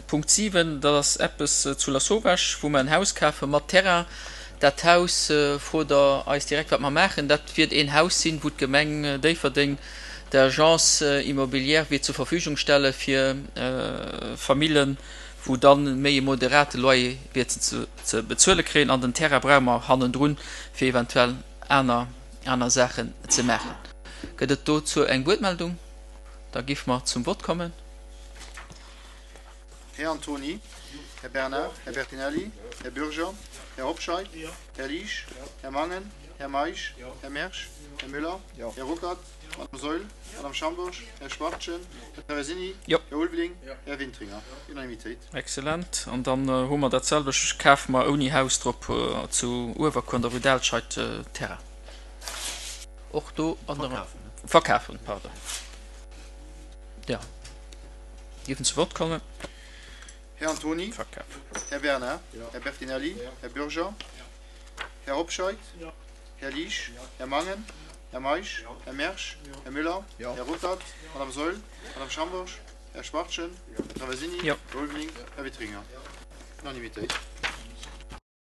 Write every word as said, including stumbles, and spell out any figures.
Punkt siwen, dat ass eppes zu Lasauvage, wou mer en Haus kafe mat Terrain. Dat Haus, frot Der eis direkt, wat mer maachen. Dat wiert een Haus sinn, wou d'Gemeng Déifferdeng der Agence immobilière wiert zur Verfügung stelle fir Famillen, wou dann méi e moderate Loyer wierten ze bezuele kréien. An den Terrain brauche mer hannendrun, fir eventuell aner aner Saachen ze maachen. Gëtt et dozou eng Wuertmeldung? Da géife mer zum Vott kommen. Här Antony, Här Bernard, Här Bertinelli, Här Bürger, Här Hobscheit, Här Liesch, Här Mangen, Här Meisch, Här Mersch, Här Müller, Här Ruckert, Madame Saeul, Madame Schambourg, Här Schwachtgen, Här Traversini, Jo. Här Ulveling, Här Wintringer. Unanimitéit. Excellent. An dann hu mer dat selwecht, kafe mer ouni Haus drop zu Uewerkuer an der Rue d'Alscheid Terrain. Och do an der. Verkafen, pardon. Jo. Dierfen zu Wort kommen. Här Antony, Verkafen. Här Bernard, Här Bertinelli, Här Bürger, Här Hobscheit, Här Liesch, Här Mangen, Här Meisch, Här Mersch, Här Müller, Här Ruckert, Madame Saeul, Madame Schambourg, Här Schwachtgen, Här Traversini, Jo. Här Ulveling, Här Witringer. Unanimitéit.